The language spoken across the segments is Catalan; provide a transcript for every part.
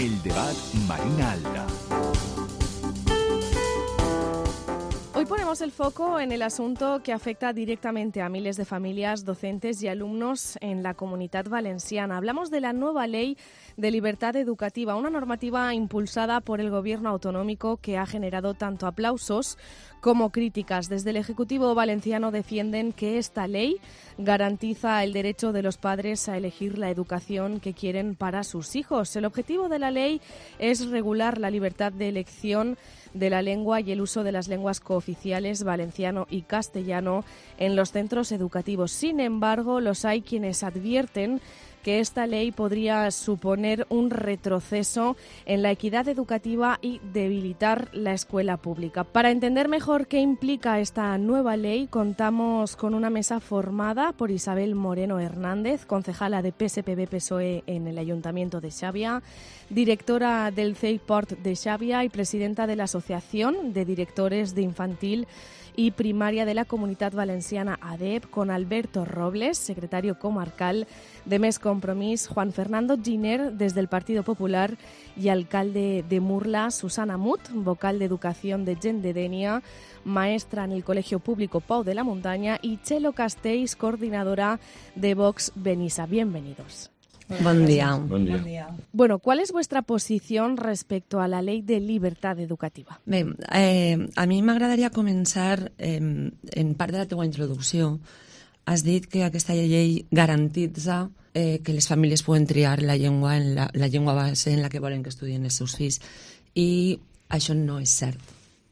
El debat Marina Alda. Hoy ponemos el foco en el asunto que afecta directamente a miles de familias, docentes y alumnos en la Comunitat Valenciana. Hablamos de la nueva Ley de Libertad Educativa, una normativa impulsada por el Gobierno autonómico que ha generado tanto aplausos como críticas. Desde el Ejecutivo valenciano defienden que esta ley garantiza el derecho de los padres a elegir la educación que quieren para sus hijos. El objetivo de la ley es regular la libertad de elección de la lengua y el uso de las lenguas cooficiales valenciano y castellano en los centros educativos. Sin embargo, los hay quienes advierten que esta ley podría suponer un retroceso en la equidad educativa y debilitar la escuela pública. Para entender mejor qué implica esta nueva ley, contamos con una mesa formada por Isabel Moreno Hernández, concejala de PSPB-PSOE en el Ayuntamiento de Xàbia, directora del CEIPORT de Xàbia y presidenta de la Asociación de Directores de Infantil y Primaria de la Comunitat Valenciana ADEP, con Alberto Robles, secretario comarcal de Més Compromís, Juan Fernando Giner, desde el Partido Popular, y alcalde de Murla, Susana Mut, vocal de Educación de Gent de Dénia, maestra en el Colegio Público Pau de la Montaña, y Chelo Castells, coordinadora de Vox Benissa. Bienvenidos. Buen día. Bon dia. Bueno, ¿cuál es vuestra posición respecto a la Ley de Libertad Educativa? Bé, a mi m'agradaria començar, en part de la teua introducció, has dit que aquesta llei garantitza que les famílies poden triar la llengua, la llengua base en la que volen que estudien els seus fills, i això no és cert.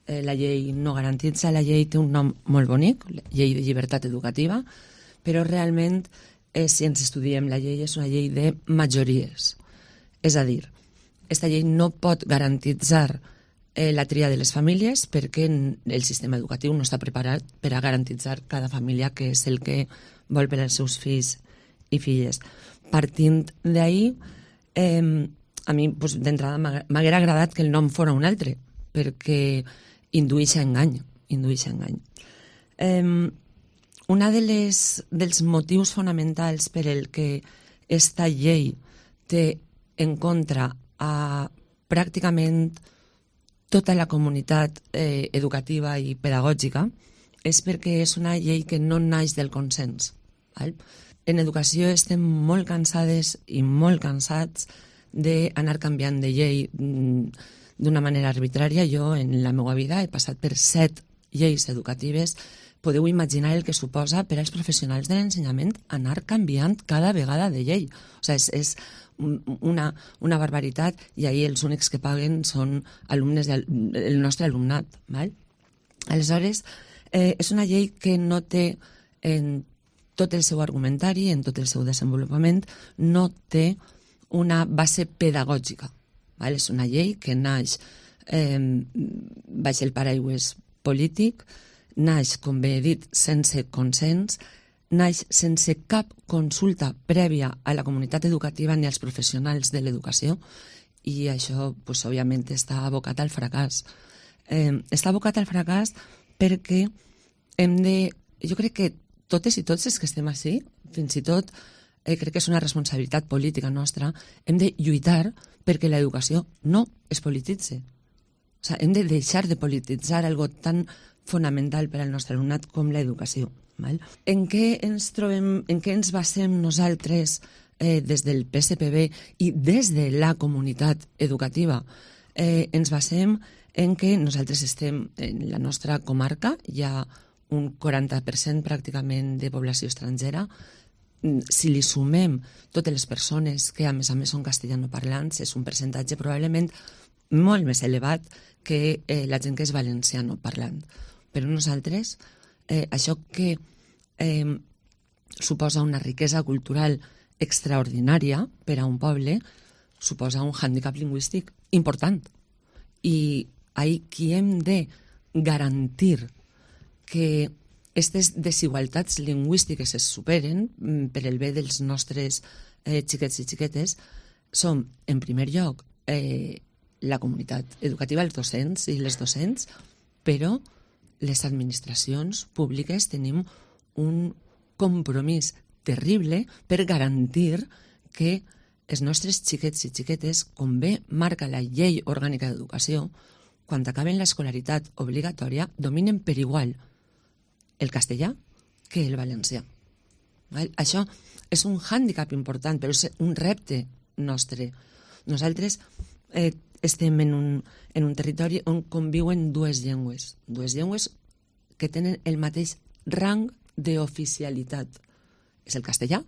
La llei no garantitza, la llei té un nom molt bonic, Llei de Llibertat Educativa, però realment si ens estudiem la llei és una llei de majories. És a dir, aquesta llei no pot garantitzar la tria de les famílies perquè el sistema educatiu no està preparat per a garantitzar cada família que és el que vol per als seus fills i filles. Partint d'ahir, a mi d'entrada m'haguera agradat que el nom fora un altre, perquè indueix a engany. Un dels motius fonamentals per el que esta llei té en contra a pràcticament tota la comunitat educativa i pedagògica és perquè és una llei que no naix del consens. En educació estem molt cansades i molt cansats d'anar canviant de llei d'una manera arbitrària. Jo, en la meva vida, he passat per 7 lleis educatives. Podeu imaginar el que suposa per als professionals de l'ensenyament anar canviant cada vegada de llei. O sigui, és una barbaritat, i ahir els únics que paguen són alumnes del nostre alumnat. Aleshores, és una llei que no té, en tot el seu argumentari, en tot el seu desenvolupament, no té una base pedagògica. És una llei que naix baix el paraigües polític, naix, com bé he dit, sense consens, naix sense cap consulta prèvia a la comunitat educativa ni als professionals de l'educació, i això, òbviament, està abocat al fracàs. Està abocat al fracàs perquè jo crec que totes i tots els que estem així, fins i tot crec que és una responsabilitat política nostra, hem de lluitar perquè l'educació no es polititzi. O sigui, hem de deixar de polititzar algo tan fonamental per al nostre alumnat com l'educació. En què ens basem nosaltres des del PSPB i des de la comunitat educativa? Ens basem en que nosaltres estem, en la nostra comarca, hi ha un 40% pràcticament de població estrangera. Si li sumem totes les persones que a més són castellanoparlants, és un percentatge probablement molt més elevat que la gent que és valencianoparlant. Però nosaltres, això que suposa una riquesa cultural extraordinària per a un poble, suposa un hàndicap lingüístic important. I aquí hem de garantir que aquestes desigualtats lingüístiques es superen per el bé dels nostres xiquets i xiquetes. Som, en primer lloc, la comunitat educativa, els docents i les docents, però les administracions públiques tenim un compromís terrible per garantir que els nostres xiquets i xiquetes, com bé marca la Llei Orgànica d'Educació, quan acaben l'escolaritat obligatòria, dominen per igual el castellà que el valencià. Això és un hàndicap important, però és un repte nostre. Nosaltres estem en un territori on conviuen dues llengües que tenen el mateix rang d'oficialitat. És el castellà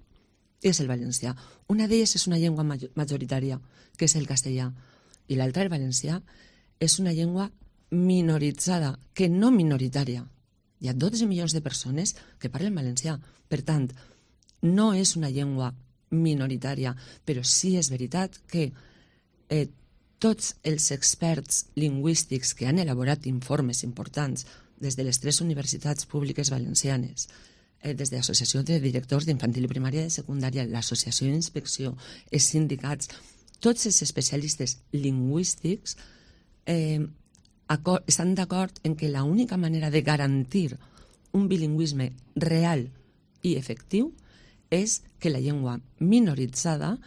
i és el valencià. Una d'elles és una llengua majoritària, que és el castellà, i l'altra, el valencià, és una llengua minoritzada, que no minoritària. Hi ha 12 milions de persones que parlen valencià. Per tant, no és una llengua minoritària, però sí és veritat que tots els experts lingüístics que han elaborat informes importants des de les 3 universitats públiques valencianes, des de l'Associació de Directors d'Infantil i Primària i de Secundària, l'Associació d'Inspecció, els sindicats, tots els especialistes lingüístics estan d'acord en que l'única manera de garantir un bilingüisme real i efectiu és que la llengua minoritzada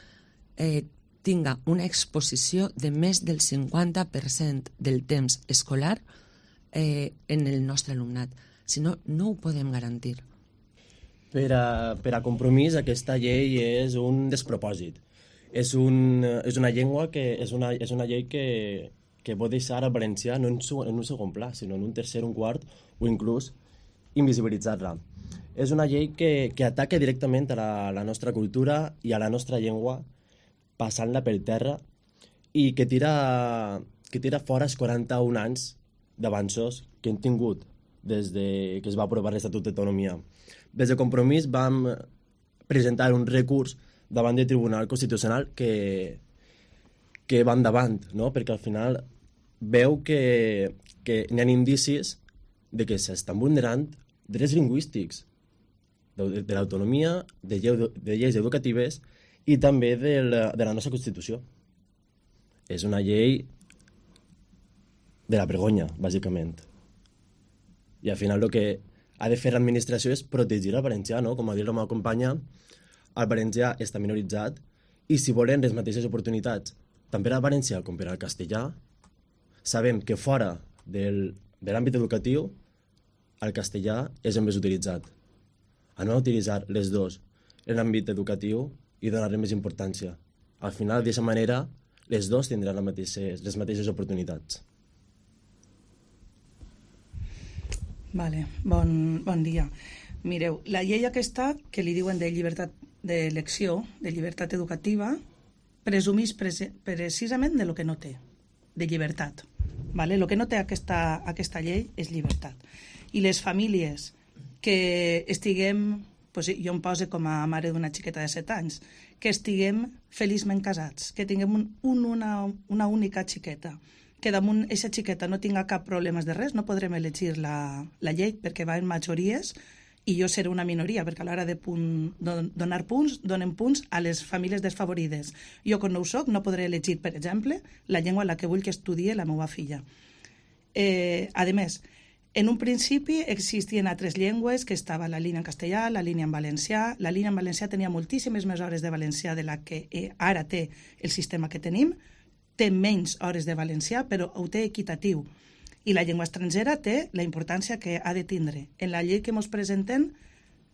tinga una exposició de més del 50% del temps escolar en el nostre alumnat. Si no, no ho podem garantir. Per a Compromís, aquesta llei és un despropòsit. És una llengua que és una llei que pot deixar el valencià no en un segon pla, sinó en un tercer, un quart, o inclús invisibilitzar-la. És una llei que ataca directament a la nostra cultura i a la nostra llengua, passant-la per terra, i que tira fora els 41 anys d'avanços que hem tingut des que es va aprovar l'Estatut d'Autonomia. Des de Compromís vam presentar un recurs davant del Tribunal Constitucional que va endavant, no? Perquè al final veu que n'hi ha indicis de que s'estan vulnerant drets lingüístics de l'autonomia, de lleis educatives i també de la nostra Constitució. És una llei de la vergonya, bàsicament. I al final el que ha de fer l'administració és protegir el valencià, no? Com ha dit la meva companya, el valencià està minoritzat i si volen les mateixes oportunitats tant per al valencià com per al castellà, sabem que fora de l'àmbit educatiu el castellà és el més utilitzat. Anem a utilitzar les dues en l'àmbit educatiu i donar-li més importància. Al final, d'aquesta manera, les dues tindran les mateixes oportunitats. Vale, bon dia. Mireu, la llei aquesta que li diuen de llibertat d'elecció, de llibertat educativa, presumís precisament de lo que no té, de llibertat. Vale? Lo que no té aquesta llei és llibertat. I les famílies que estiguem, jo em poso com a mare d'una xiqueta de 7 anys, que estiguem feliçment casats, que tinguem una única xiqueta, que damunt aquesta xiqueta no tinga cap problema de res, no podrem elegir la llei perquè va en majories i jo seré una minoria, perquè a l'hora de donar punts, donem punts a les famílies desfavorides. Jo, quan no ho soc, no podré elegir, per exemple, la llengua en la que vull que estudie la meva filla. A més, en un principi existien altres llengües, que estava la línia en castellà, la línia en valencià. La línia en valencià tenia moltíssimes més hores de valencià de la que ara té el sistema que tenim. Té menys hores de valencià, però ho té equitatiu. I la llengua estrangera té la importància que ha de tindre. En la llei que ens presenten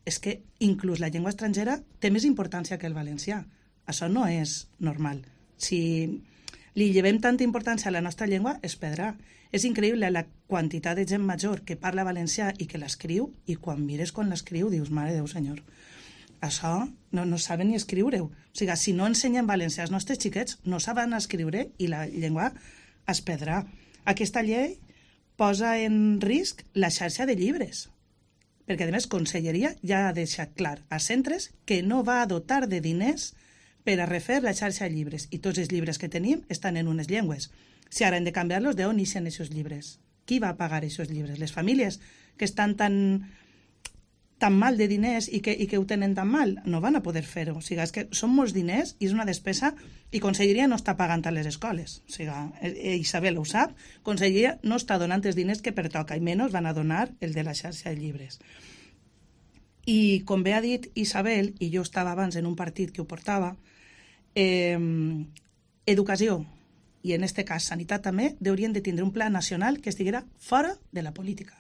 és que inclús la llengua estrangera té més importància que el valencià. Això no és normal. Si li llevem tanta importància a la nostra llengua, es perdrà. És increïble la quantitat de gent major que parla valencià i que l'escriu, i quan mires quan l'escriu dius, mare Déu senyor, això no saben ni escriure-ho. O sigui, si no ensenyen valencià als nostres xiquets, no saben escriure i la llengua es perdrà. Aquesta llei posa en risc la xarxa de llibres, perquè a més Conselleria ja ha deixat clar a centres que no va dotar de diners per a refer la xarxa de llibres, i tots els llibres que tenim estan en unes llengües. Si ara hem de canviar-los, d'on ixen aquests llibres? Qui va pagar aquests llibres? Les famílies que estan tan mal de diners i que ho tenen tan mal, no van a poder fer-ho. O sigui, és que són molts diners i és una despesa, i Conselleria no està pagant a les escoles. O sigui, Isabel ho sap, Conselleria no està donant els diners que pertoca, i menys van a donar el de la xarxa de llibres. I com bé ha dit Isabel, i jo estava abans en un partit que ho portava, Educació, i en aquest cas sanitat també, haurien de tindre un pla nacional que estiguera fora de la política.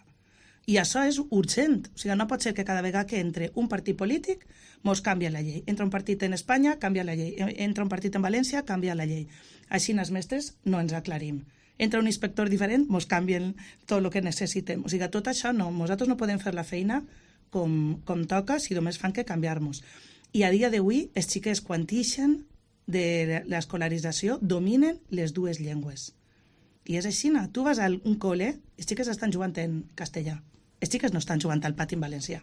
I això és urgent. O sigui, no pot ser que cada vegada que entre un partit polític mos canvia la llei. Entra un partit en Espanya, canvia la llei. Entra un partit en València, canvia la llei. Així els mestres no ens aclarim. Entra un inspector diferent, mos canvien tot el que necessitem. O sigui, tot això no. Nosaltres no podem fer la feina com toca si només fan que canviar-nos. I a dia d'avui, els xiquets, quan ixen de l'escolarització, dominen les dues llengües. I és així, tu vas a un col·le, els xiquets estan jugant en castellà. Els xiquets no estan jugant al pati en valencià.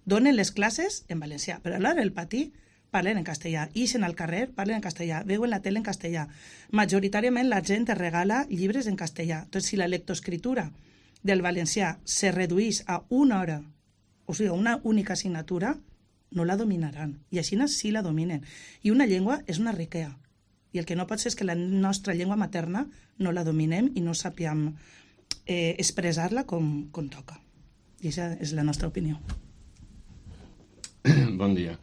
Donen les classes en valencià, però alhora el pati parlen en castellà. Ixen al carrer, parlen en castellà. Veuen la tele en castellà. Majoritàriament la gent es regala llibres en castellà. Entonces, si la lectoescritura del valencià se redueix a una hora, o sigui, una única assignatura, no la dominaran. I així sí la dominen. I una llengua és una riquesa. I el que no pot ser és que la nostra llengua materna no la dominem i no sapiem expressar-la com toca. I aquesta és la nostra opinió. Bon dia.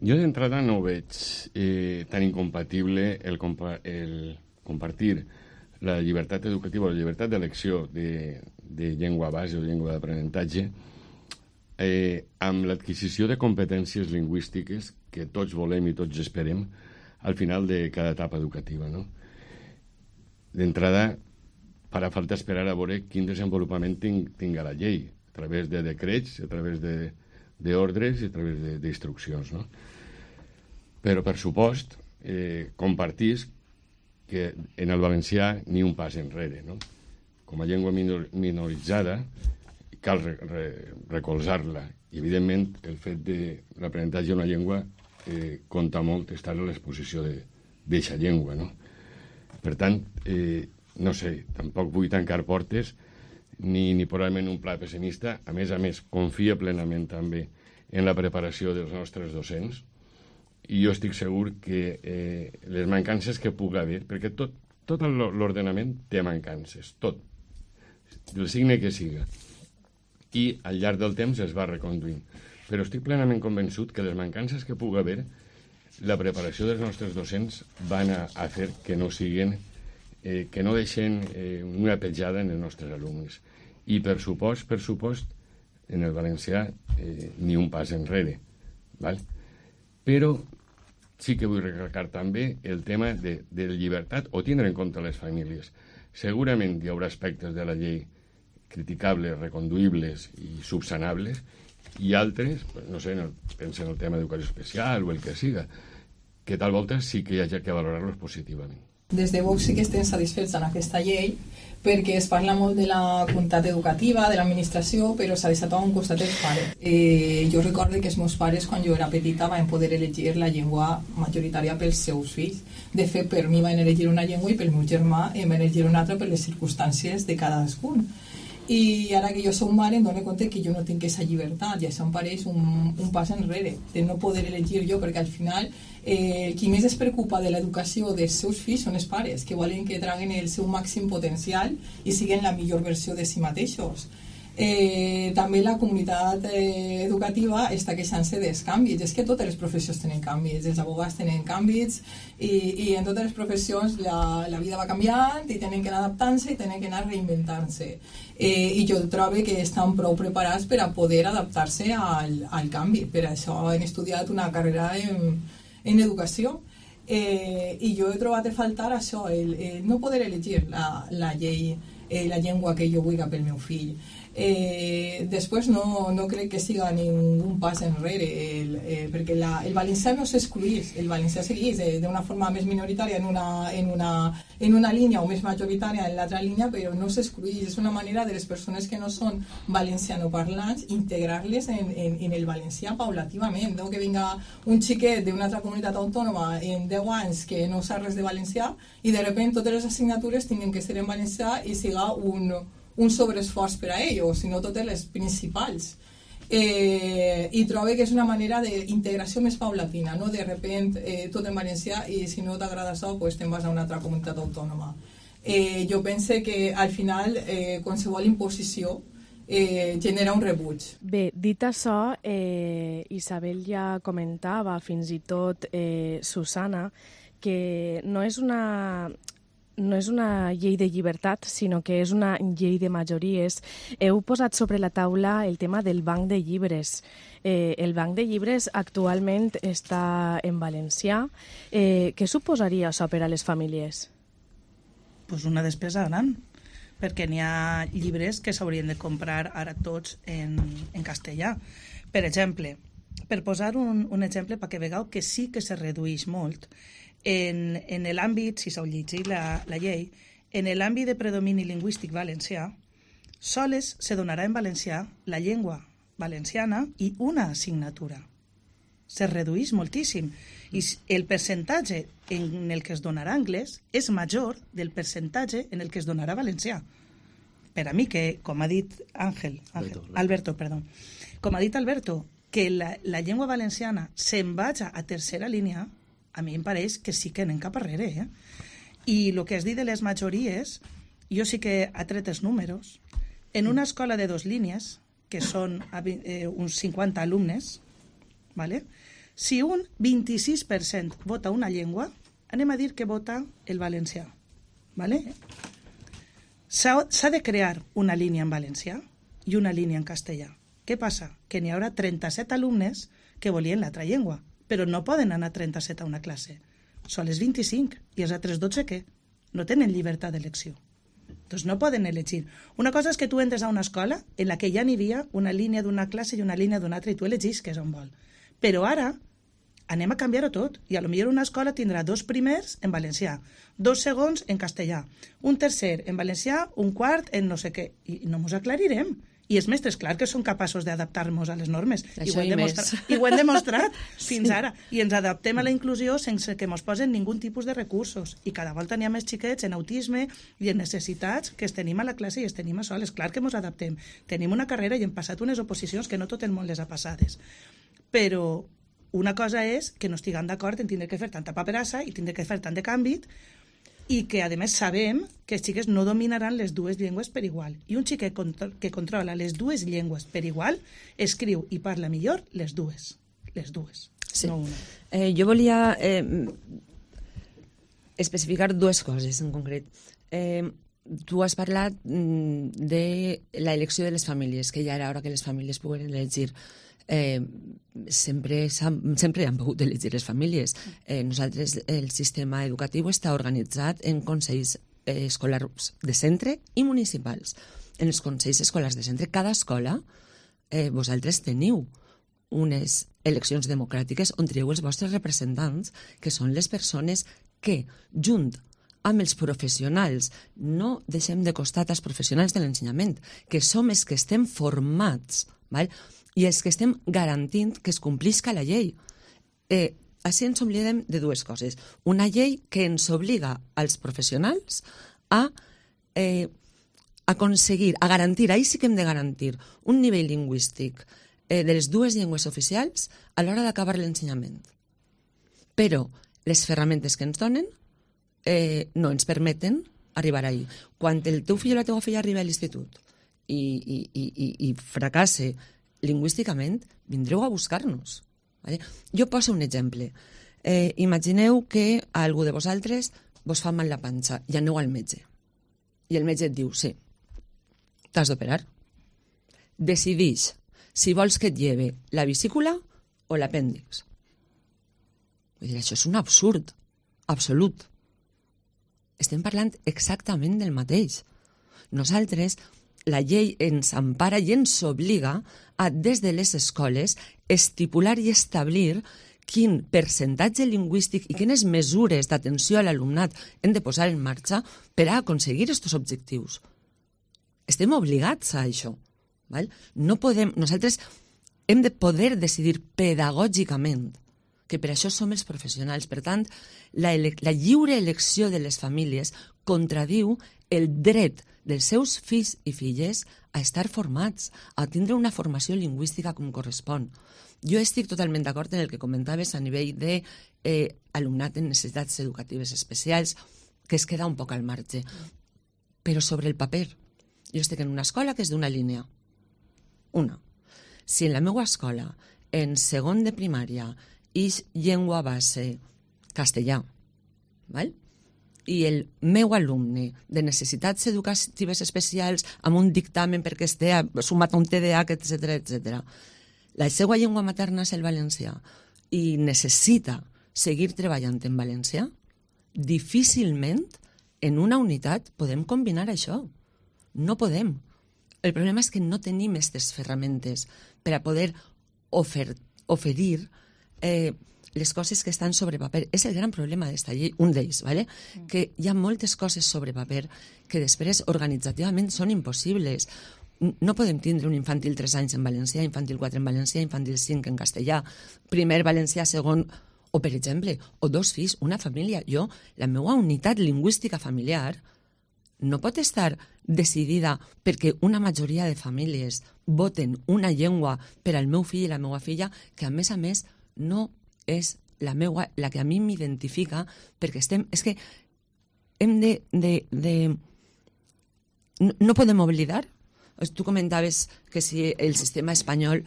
Jo d'entrada no veig tan incompatible el compartir la llibertat educativa o la llibertat d'elecció de llengua base o llengua d'aprenentatge amb l'adquisició de competències lingüístiques que tots volem i tots esperem al final de cada etapa educativa, no? D'entrada, farà falta esperar a veure quin desenvolupament tinga la llei, a través de decrets, a través d'ordres i a través d'instruccions, no? Però, per supost, compartís que en el valencià ni un pas enrere, no? Com a llengua minoritzada, cal recolzar-la. I, evidentment, el fet de l'aprenentatge d'una llengua compta molt estar a l'exposició d'eixa llengua, no? Per tant, no sé, tampoc vull tancar portes ni posar-me en un pla pessimista. A més, confia plenament també en la preparació dels nostres docents i jo estic segur que les mancances que pugui haver, perquè tot l'ordenament té mancances, tot, del signe que siga, i al llarg del temps es va reconduint. Però estic plenament convençut que les mancances que pugui haver, la preparació dels nostres docents van a fer que no siguin, que no deixen una petjada en els nostres alumnes. I per supost, en el valencià ni un pas enrere. Val? Però sí que vull recalcar també el tema de llibertat o tindre en compte les famílies. Segurament hi haurà aspectes de la llei criticables, reconduïbles i subsanables, i altres, no sé, pensa en el tema d'educació especial o el que siga, que tal volta sí que hi hagi que valorar-los positivament. Des de Vox sí que estem satisfets en aquesta llei perquè es parla molt de la comunitat educativa, de l'administració, però s'ha deixat a un costat els pares. Jo recordo que els meus pares, quan jo era petita, van poder elegir la llengua majoritària pels seus fills. De fet, per mi van elegir una llengua i pel meu germà van elegir una altra per les circumstàncies de cadascun. I ara que jo soc mare em dono compte que jo no tinc aquesta llibertat i això em pareix un pas enrere de no poder elegir jo, perquè al final qui més es preocupa de l'educació dels seus fills són els pares, que volen que traguen el seu màxim potencial i siguin la millor versió de si mateixos. També la comunitat educativa està queixant-se dels canvis. És que totes les professions tenen canvis, els abogats tenen canvis i en totes les professions la vida va canviant i tenen que anar adaptant-se i tenen que anar reinventant-se. I jo trobo que estan prou preparats per a poder adaptar-se al canvi. Per això han estudiat una carrera en educació. I jo he trobat a faltar això, el no poder elegir la llengua que jo vull pel meu fill. Després no crec que siga ningú pas enrere perquè el valencià no s'excluís, el valencià seguís d'una forma més minoritària en una línia o més majoritària en l'altra línia, però no s'excluís. És una manera de les persones que no són valencianoparlants integrar-les en el valencià paulativament. No que vinga un xiquet d'una altra comunitat autònoma en 10 anys que no sap res de valencià i de sobte totes les assignatures tinguin que ser en valencià i siga un sobreesforç per a ell, o si no totes les principals. I trobo que és una manera d'integració més paulatina, no de sobte tot en valencià i si no t'agrada això, pues te'n vas a una altra comunitat autònoma. Jo penso que al final qualsevol imposició genera un rebuig. Bé, dit això, Isabel ja comentava, fins i tot Susana, que no és una llei de llibertat, sinó que és una llei de majories. Heu posat sobre la taula el tema del banc de llibres. El banc de llibres actualment està en valencià. Què suposaria això per a les famílies? Pues una despesa gran, perquè n'hi ha llibres que s'haurien de comprar ara tots en castellà. Per exemple, per posar un exemple perquè vegeu que sí que se redueix molt, en l'àmbit, si s'heu llegit la llei, en l'àmbit de predomini lingüístic valencià, sols se donarà en valencià la llengua valenciana i una assignatura. Se redueix moltíssim. I el percentatge en el que es donarà anglès és major del percentatge en el que es donarà valencià. Per a mi, que, com ha dit Alberto, com ha dit Alberto, que la llengua valenciana se'n vaja a tercera línia, a mi em pareix que sí que anem cap arrere. I el que has dit de les majories, jo sí que ha tret els números. En una escola de 2 línies, que són uns 50 alumnes, ¿vale? Si un 26% vota una llengua, anem a dir que vota el valencià. ¿Vale? S'ha de crear una línia en valencià i una línia en castellà. Què passa? Que n'hi haurà 37 alumnes que volien l'altra llengua, però no poden anar 37 a una classe. Són les 25, i els altres 12 què? No tenen llibertat d'elecció. Doncs no poden elegir. Una cosa és que tu entres a una escola en la que ja n'hi havia una línia d'una classe i una línia d'una altra i tu elegis què és on vol. Però ara anem a canviar-ho tot, i a lo millor una escola tindrà 2 primers en valencià, 2 segons en castellà, un tercer en valencià, un quart en no sé què, i no ens aclarirem. I els mestres, clar que són capaços d'adaptar-nos a les normes, i ho hem demostrat fins ara, i ens adaptem a la inclusió sense que ens posen ningú tipus de recursos, i cada volta n'hi ha més xiquets en autisme i en necessitats que es tenim a la classe i es tenim a soles, clar que ens adaptem, tenim una carrera i hem passat unes oposicions que no tot el món les ha passades, però una cosa és que no estiguem d'acord en tindre que fer tanta paperassa i tindre que fer tant de canvi, i que, a més, sabem que els xiquets no dominaran les 2 llengües per igual. I un xiquet que controla les 2 llengües per igual escriu i parla millor les 2. Les 2, sí. No una. Jo volia especificar 2 coses en concret. Tu has parlat de l'elecció de les famílies, que ja era hora que les famílies pogueren elegir. Sempre han pogut elegir les famílies. Nosaltres, el sistema educatiu està organitzat en consells escolars de centre i municipals. En els consells escolars de centre, cada escola, vosaltres teniu unes eleccions democràtiques on trieu els vostres representants, que són les persones que, junt amb els professionals, no deixem de costat els professionals de l'ensenyament, que som els que estem formats, val? I els que estem garantint que es complisca la llei. Així ens oblidem de 2 coses. Una llei que ens obliga als professionals a aconseguir, a garantir, ahir sí que hem de garantir un nivell lingüístic de les 2 llengües oficials a l'hora d'acabar l'ensenyament. Però les ferramentes que ens donen no ens permeten arribar ahir. Quan el teu fill o la teva filla arriba a l'institut i fracasse lingüísticament, vindreu a buscar-nos. Vale? Jo poso un exemple. Imagineu que a algú de vosaltres vos fa mal la panxa i aneu al metge. I el metge et diu, sí, t'has d'operar. Decidix si vols que et lleve la vesícula o l'apèndix. Vull dir, això és un absurd absolut. Estem parlant exactament del mateix. Nosaltres, la llei ens empara i ens obliga a, des de les escoles, estipular i establir quin percentatge lingüístic i quines mesures d'atenció a l'alumnat hem de posar en marxa per a aconseguir aquests objectius. Estem obligats a això. Val? No podem, nosaltres hem de poder decidir pedagògicament, que per això som els professionals. Per tant, la lliure elecció de les famílies contradiu el dret dels seus fills i filles a estar formats, a tindre una formació lingüística com correspon. Jo estic totalment d'acord en el que comentaves a nivell d'alumnat en necessitats educatives especials, que es queda un poc al marge. Però sobre el paper, jo estic en una escola que és d'una línia, Una, si en la meva escola, en segon de primària, és llengua base castellà, val? I el meu alumne de necessitats educatives especials amb un dictamen perquè estigui sumat a un TDAH, etc., la seva llengua materna és el valencià i necessita seguir treballant en valencià, difícilment en una unitat podem combinar això. No podem. El problema és que no tenim aquestes ferramentes per a poder oferir les coses que estan sobre paper. És el gran problema d'esta llei, un d'ells, ¿vale? Que hi ha moltes coses sobre paper que després organitzativament són impossibles. No podem tindre un infantil 3 anys en valencià, infantil 4 en valencià, infantil 5 en castellà, primer valencià, segon, o per exemple, o 2 fills, una família. La meva unitat lingüística familiar no pot estar decidida perquè una majoria de famílies voten una llengua per al meu fill i la meva filla que, a més, no és la que a mi m'identifica, perquè és que hem de... No podem oblidar. Tu comentaves que si el sistema espanyol...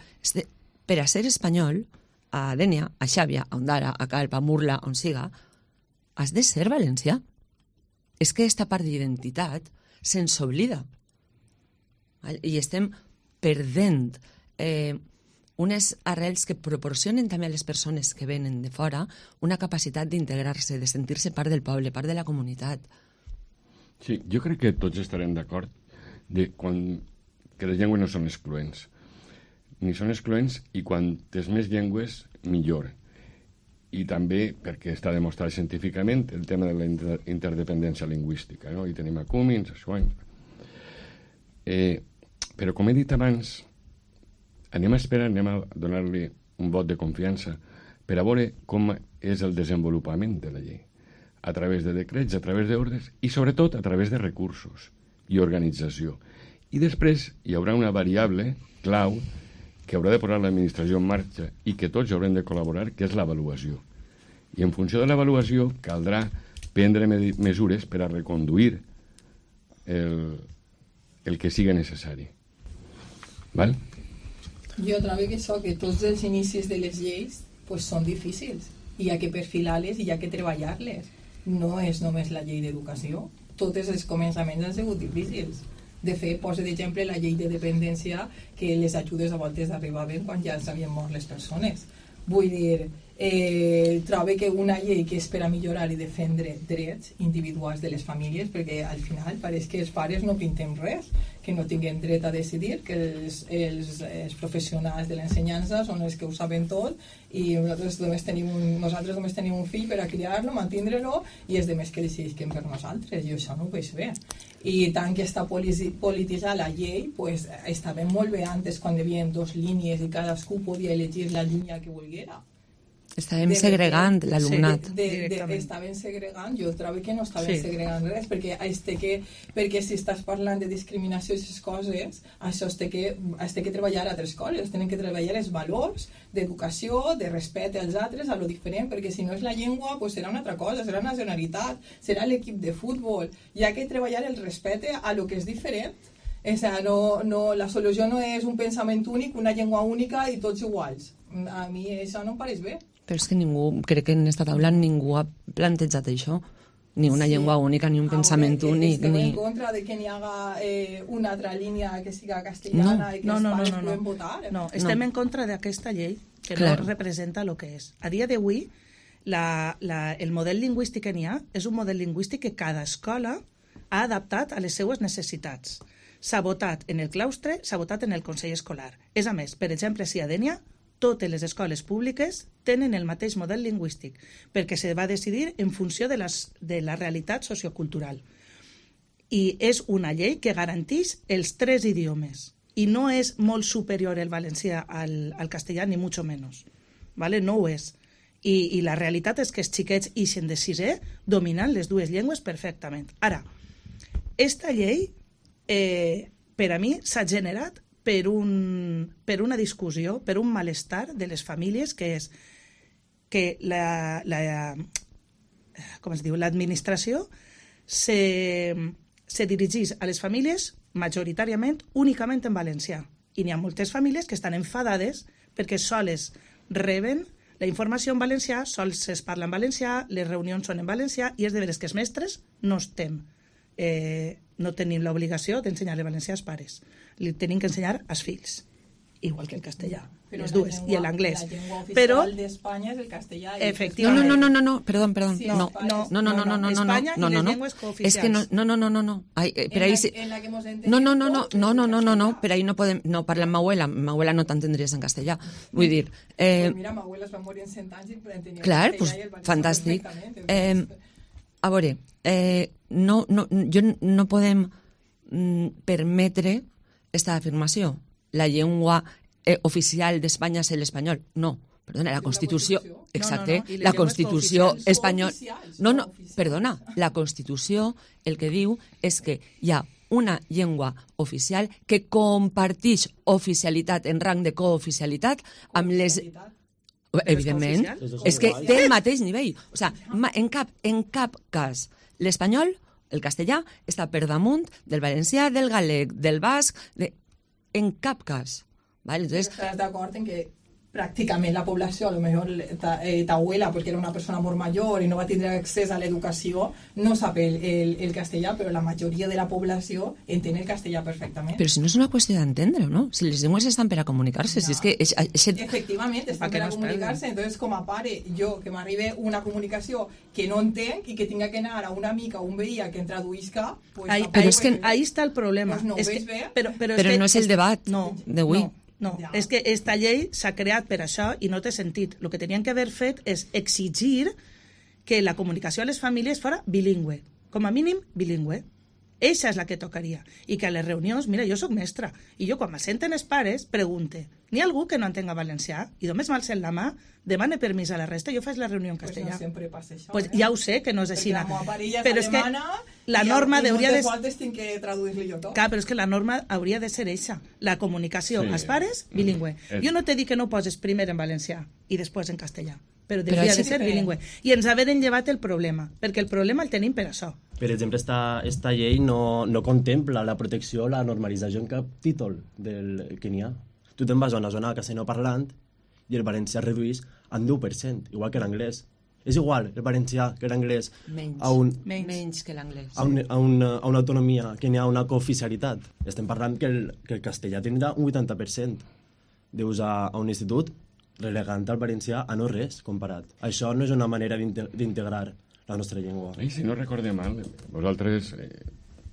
Per a ser espanyol, a Dénia, a Xàbia, a Ondara, a Calp, a Murla, on siga, has de ser valencià. És que aquesta part d'identitat se'ns oblida. I estem perdent unes arrels que proporcionen també a les persones que venen de fora una capacitat d'integrar-se, de sentir-se part del poble, part de la comunitat. Sí, jo crec que tots estarem d'acord que les llengües no són excloents. Ni són excloents i quantes més llengües, millor. I també, perquè està demostrat científicament, el tema de la interdependència lingüística, no? I tenim a Cummins, a Schwein. Però, com he dit abans, anem a donar-li un vot de confiança per a veure com és el desenvolupament de la llei, a través de decrets, a través d'ordres i, sobretot, a través de recursos i organització. I després hi haurà una variable clau que haurà de posar l'administració en marxa i que tots haurem de col·laborar, que és l'avaluació. I en funció de l'avaluació caldrà prendre mesures per a reconduir el que sigui necessari. Val? Jo trobo que això, que tots els inicis de les lleis pues, són difícils i hi ha que perfilar-les i hi ha que treballar-les. No és només la llei d'educació. Tots els començaments han sigut difícils. De fet, posa d'exemple la llei de dependència, que les ajudes a voltes arribaven quan ja s'havien mort les persones. Vull dir, trobo que una llei que és per a millorar i defendre drets individuals de les famílies, perquè al final pareix que els pares no pintem res, que no tinguin dret a decidir, que els professionals de l'ensenyança són els que ho saben tot i nosaltres només tenim un fill per a criar-lo, mantindre-lo i els demés que decidisquen per nosaltres. Jo això no ho veig bé. I tant que està polititzada la llei, pues, estava molt bé antes quan hi havia 2 línies i cadascú podia elegir la línia que volguera. Estàvem segregant l'alumnat. Estaven segregant, jo trobo que no estaven segregant res, perquè si estàs parlant de discriminació i aquestes coses, això es té que treballar a altres coses, tenen que treballar els valors d'educació, de respecte als altres, a lo diferent, perquè si no és la llengua, pues serà una altra cosa, serà nacionalitat, serà l'equip de futbol, hi ha que treballar el respecte a lo que és diferent. O sea, la solució no és un pensament únic, una llengua única i tots iguals. A mi això no em pareix bé. Però és que crec que en aquesta taula ningú ha plantejat això. Ni una llengua única, ni un pensament únic. Estem en contra de que n'hi haga una altra línia que siga castellana i que els pares puguin votar. No, estem en contra d'aquesta llei que no representa el que és. A dia d'avui, el model lingüístic que n'hi ha és un model lingüístic que cada escola ha adaptat a les seues necessitats. S'ha votat en el claustre, s'ha votat en el Consell Escolar. És a més, per exemple, si a Dénia, totes les escoles públiques tenen el mateix model lingüístic, perquè se va decidir en funció de la realitat sociocultural. I és una llei que garanteix els 3 idiomes, i no és molt superior el valencià al castellà, ni mucho menos. ¿Vale? No ho és. I la realitat és que els xiquets ixen de 6è dominant les 2 llengües perfectament. Ara, esta llei, per a mi, s'ha generat per una discussió, per un malestar de les famílies, que és que l'administració se dirigís a les famílies majoritàriament únicament en valencià. I n'hi ha moltes famílies que estan enfadades perquè soles reben la informació en valencià, sols es parla en valencià, les reunions són en valencià, i és de veres que els mestres no tenim l'obligació d'ensenyar el valencià als pares. Li tenim que ensenyar als fills, igual que el castellà. Pero les dues, i l'anglès. La llengua oficial però de España es el castellà. Efectivament. No, perdón. Sí, No. España y las lenguas cooficiales. Es que no. Ai, per ahí sí. En la que hemos entendido. No, per ahí no podem, no parla amb ma abuela no t'entendries en castellà. Vull dir... Pues mira, ma abuela es va morir en 100 anys i entenia clar, pues, fantàstic. A veure, no podem permetre esta afirmació. La llengua oficial d'Espanya és l'espanyol. No, perdona, la Constitució... Exacte, la Constitució espanyola... Perdona, la Constitució el que diu és que hi ha una llengua oficial que compartix oficialitat en rang de cooficialitat amb les... Evidentment, és que té el mateix nivell. O sigui, en cap cas l'espanyol, el castellà, està per damunt del valencià, del galec, del basc... En cap cas. ¿Vale? Entonces, ¿estás de acuerdo en que prácticamente la població, a lo mejor t'abuela, perquè era una persona molt major i no va tindre accés a l'educació, no sap el castellà, però la majoria de la població entén el castellà perfectament. Però si no és una qüestió d'entendre, no? Si les llengües estan per a comunicar-se, si és que... Efectivament, estan per a comunicar-se, entonces com a pare, jo, que m'arribe una comunicació que no entenc i que tinga que anar a una amiga o un veí a que em traduïsca... Pues, però és que ahí està el problema. Pues no ho veig bé. Però no és el debat d'avui. No, és que esta llei s'ha creat per això i no té sentit. El que tenien que haver fet és exigir que la comunicació a les famílies fora bilingüe, com a mínim bilingüe. Eixa és la que tocaria. I que a les reunions, mira, jo sóc mestra, i jo quan m'assenten els pares pregunte, n'hi ha algú que no entenga valencià? I només m'alcen la mà, demane permís a la resta, jo faig la reunió en castellà. Pues no sempre passa això. Pues ja ho sé que no és així. Però és que la norma hauria de... tinc que traduir-li jo tot. Clar, però és que la norma hauria de ser eixa. La comunicació als pares, bilingüe. Jo no t'he dit que no poses primer en valencià i després en castellà, però hauria de ser bilingüe. I ens haver llevat el problema, perquè el problema el tenim per això. Per exemple, esta llei no contempla la protecció, la normalització en cap títol que n'hi ha. Tu te'n vas a una zona castellanoparlant i el valencià reduís en 10%, igual que l'anglès. És igual el valencià que l'anglès menys que l'anglès. A una autonomia, que n'hi ha una cooficialitat. Estem parlant que el castellà tindrà un 80% d'ús a un institut, relegant el valencià a no res comparat. Això no és una manera d'integrar la nostra llengua. I si no recordem mal, vosaltres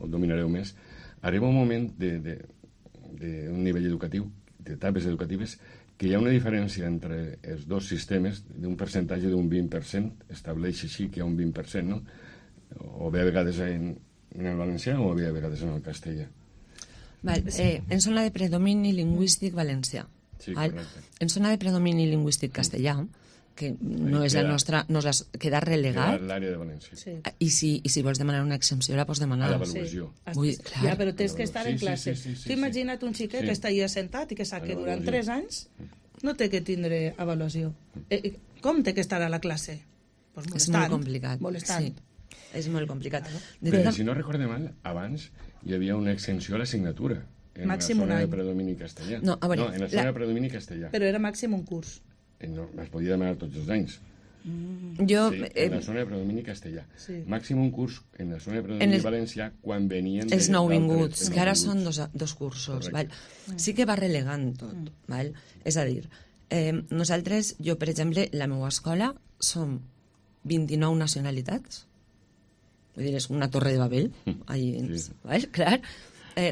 ho dominareu més, arriba un moment d'un nivell educatiu, d'etapes educatives, que hi ha una diferència entre els dos sistemes d'un percentatge d'un 20%, estableix així que hi ha un 20%, no? O bé a vegades en el valencià o bé a vegades en el castellà. En zona de predomini lingüístic valencià. Sí, correcte. En zona de predomini lingüístic castellà, que no és la nostra, queda relegat. L'àrea de València. Sí. I si vols demanar una exempció, la pots demanar. A l'avaluació. Ja, però tens que estar en classe. Tu imagina't un xiquet que està allà sentat i que sap que durant 3 anys no té que tindre avaluació. Com té que estar a la classe? Pues és molt complicat. Molestant. Sí, és molt complicat. Però si no recorde mal, abans hi havia una exenció a l'assignatura en màxim la zona de predomini castellà. No, a veure, en la zona de predomini castellà. Però era màxim un curs. No, es podia demanar tots els anys. Jo, sí, en la zona de predomini castellà. Sí. Màxim un curs en la zona de predomini valencià quan venien... Els nouvinguts, que ara són dos cursos. Val? Sí que va relegant tot. Val? És a dir, nosaltres, jo, per exemple, la meva escola som 29 nacionalitats. Vull dir, és una torre de Babel. Sí. Val? Clar,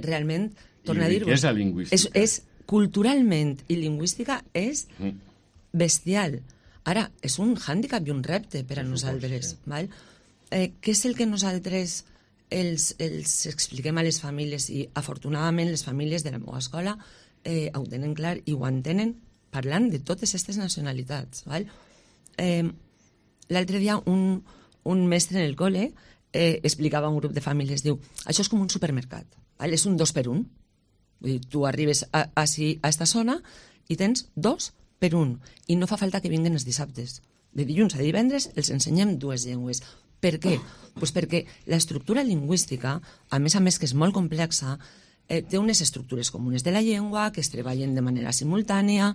realment, torna a dir-vos... I riquesa lingüística. És culturalment i lingüística és bestial. Ara, és un hàndicap i un repte per a nosaltres. Sí. Val? Què és el que nosaltres els expliquem a les famílies? I afortunadament les famílies de la meva escola ho tenen clar i ho entenen parlant de totes aquestes nacionalitats. Val? L'altre dia un mestre en el col·le explicava a un grup de famílies, diu, això és com un supermercat, val? És un 2 per 1. Vull dir, tu arribes a esta zona i tens 2 per 1. I no fa falta que vinguen els dissabtes. De dilluns a divendres els ensenyem 2 llengües. Per què? Pues perquè l'estructura lingüística, a més que és molt complexa, té unes estructures comunes de la llengua que es treballen de manera simultània.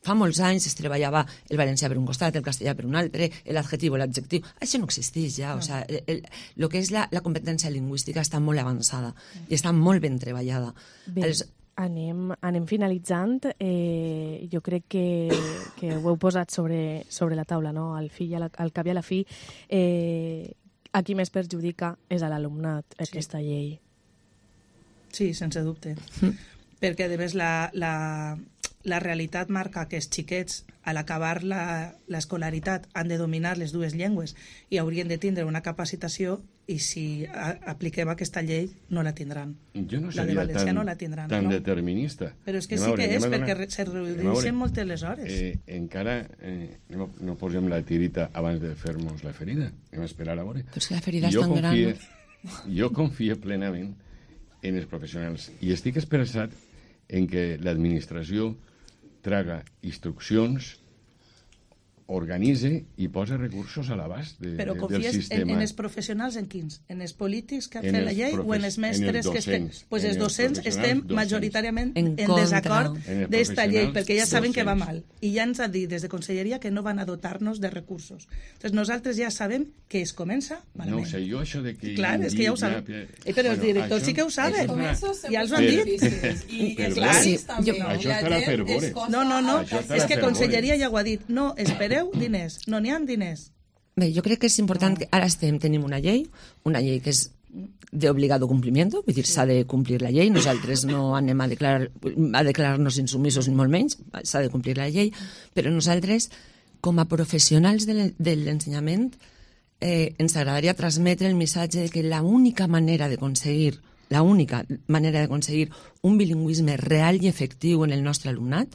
Fa molts anys es treballava el valencià per un costat, el castellà per un altre, l'adjectiu, l'adjectiu. Això no existeix ja. O sea, el que és la competència lingüística està molt avançada i està molt ben treballada. Bé, anem finalitzant. Jo crec que ho heu posat sobre la taula, no? Al cap i a la fi, a qui més perjudica és a l'alumnat aquesta llei. Sí, sense dubte. Perquè, a més, la realitat marca que els xiquets, a l'acabar l'escolaritat, han de dominar les dues llengües i haurien de tindre una capacitació, i si apliquem aquesta llei no la tindran. Jo no la de seria valencià no la tindran, tan no? determinista. Però és que sí que és, perquè se redueixen moltes les hores. Encara no posem la tirita abans de fer-nos la ferida. Anem a esperar a veure. Però és que la ferida és tan gran. Jo confio plenament en els professionals i estic esperançat en què l'administració traga instruccions, organitze i posa recursos a l'abast del sistema. Però confies en els professionals en quins? En els polítics que han fet la llei o en els mestres que estem? Doncs els docents estem majoritàriament en desacord d'esta llei, perquè ja saben que va mal. I ja ens ha dit des de Conselleria que no van a dotar-nos de recursos. Doncs nosaltres ja sabem que es comença malament. No sé, jo això de que... Clar, és que ja ho saben. Però els directors sí que ho saben. Ja els ho han dit. I els claris també. Això estarà per veure. No. És que Conselleria ja ho ha dit. No, espereu diners. No n'hi ha diners. Bé, jo crec que és important que ara tenim una llei que és d'obligado complimiento, vull dir, s'ha de complir la llei, nosaltres no anem a declarar-nos insumisos ni molt menys, s'ha de complir la llei, però nosaltres, com a professionals de l'ensenyament, ens agradaria transmetre el missatge de que l'única manera d'aconseguir un bilingüisme real i efectiu en el nostre alumnat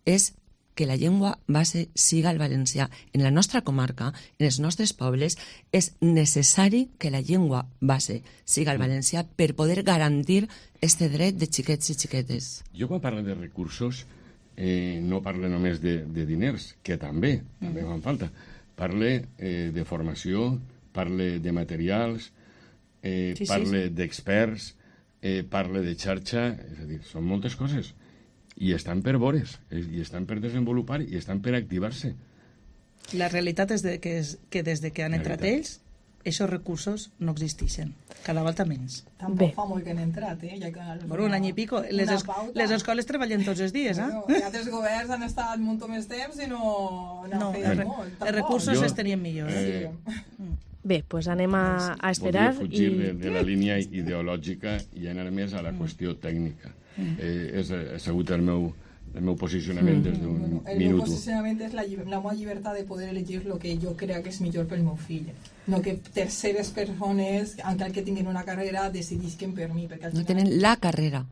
és que la llengua base siga el valencià. En la nostra comarca, en els nostres pobles, és necessari que la llengua base siga el valencià per poder garantir este dret de xiquets i xiquetes. Jo quan parlo de recursos no parlo només de diners, que també fan falta. Parle de formació, parle de materials, parle d'experts, parle de xarxa, és a dir, són moltes coses. I estan per veure's, i estan per desenvolupar, i estan per activar-se. La realitat és que des que han entrat ells, aquests recursos no existeixen. Cada volta menys. Tampoc fa molt que han entrat, Por un any i pico. Les escoles treballen tots els dies, Els altres governs han estat molt més temps i no han fet molt. Els recursos es tenien millors. Bé, doncs anem a esperar. Volia fugir de la línia ideològica i anar més a la qüestió tècnica. Ha sigut el meu posicionament des d'un minut. El meu posicionament és la meva llibertat de poder elegir el que jo crec que és millor pel meu fill. No que terceres persones, encara que tinguin una carrera, decidisquen per mi. No tenen la carrera.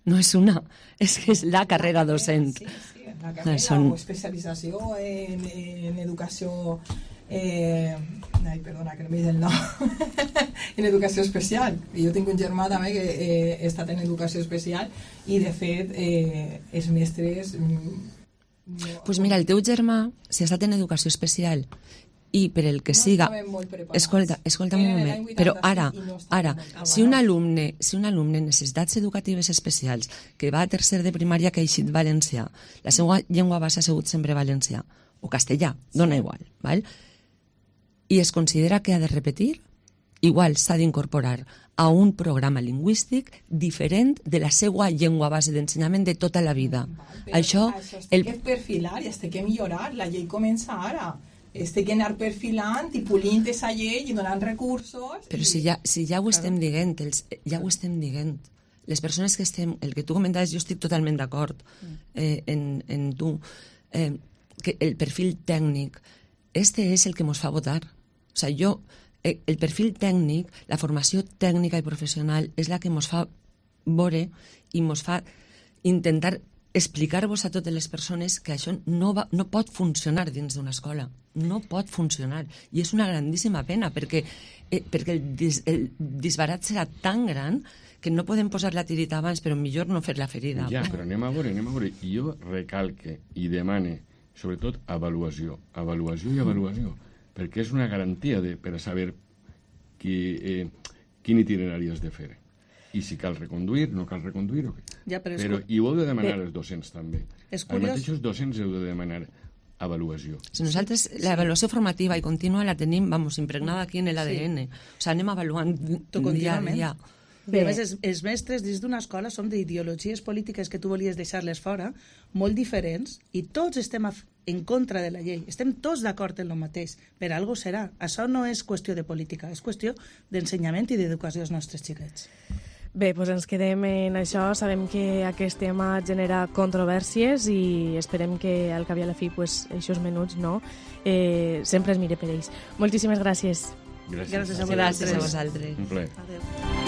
No és una, és que és la carrera docent. Sí, la carrera o especialització en educació... perdona, que no m'he dit el nom. En educació especial. Jo tinc un germà també que ha estat en educació especial i, de fet, els mestres... Doncs mira, el teu germà, si ha estat en educació especial i per el que siga... Escolta un moment, però ara, si un alumne en necessitats educatives especials que va a tercer de primària que ha eixit valencià, la seva llengua base ha sigut sempre valencià, o castellà, dona igual, val? I es considera que ha de repetir, igual s'ha d'incorporar a un programa lingüístic diferent de la seva llengua base d'ensenyament de tota la vida. Això té que perfilar i té que millorar. La llei comença ara. Té que anar perfilant i polint aquesta llei i donant recursos. Però si ja ho estem dient, les persones que estem, el que tu comentaves, jo estic totalment d'acord en tu, que el perfil tècnic, este és el que ens fa votar. O sigui, el perfil tècnic, la formació tècnica i professional és la que ens fa veure i ens fa intentar explicar-vos a totes les persones que això no pot funcionar dins d'una escola. No pot funcionar. I és una grandíssima pena, perquè el disbarat serà tan gran que no podem posar la tirita abans, però millor no fer la ferida. Ja, però anem a veure. I jo recalque i demane, sobretot, avaluació, perquè és una garantia per a saber quin itinerari has de fer. i si cal reconduir, no cal reconduir, Ja, però i ho heu de demanar els docents també. És Els curiós. mateixos docents heu de demanar avaluació. Si nosaltres l'avaluació formativa i contínua la tenim, impregnada aquí en l'ADN. O sigui, anem avaluant dia a dia. I a més, els mestres dins d'una escola som d'ideologies polítiques que tu volies deixar-les fora, molt diferents, i tots estem en contra de la llei. Estem tots d'acord en el mateix. Per algo serà. Això no és qüestió de política, és qüestió d'ensenyament i d'educació als nostres xiquets. Bé, doncs ens quedem en això. Sabem que aquest tema genera controvèrsies i esperem que al cap i a la fi, aquests menuts, sempre es mire per ells. Moltíssimes gràcies. Gràcies Gràcies a vosaltres. Gràcies a vosaltres. Un plaer. Adéu.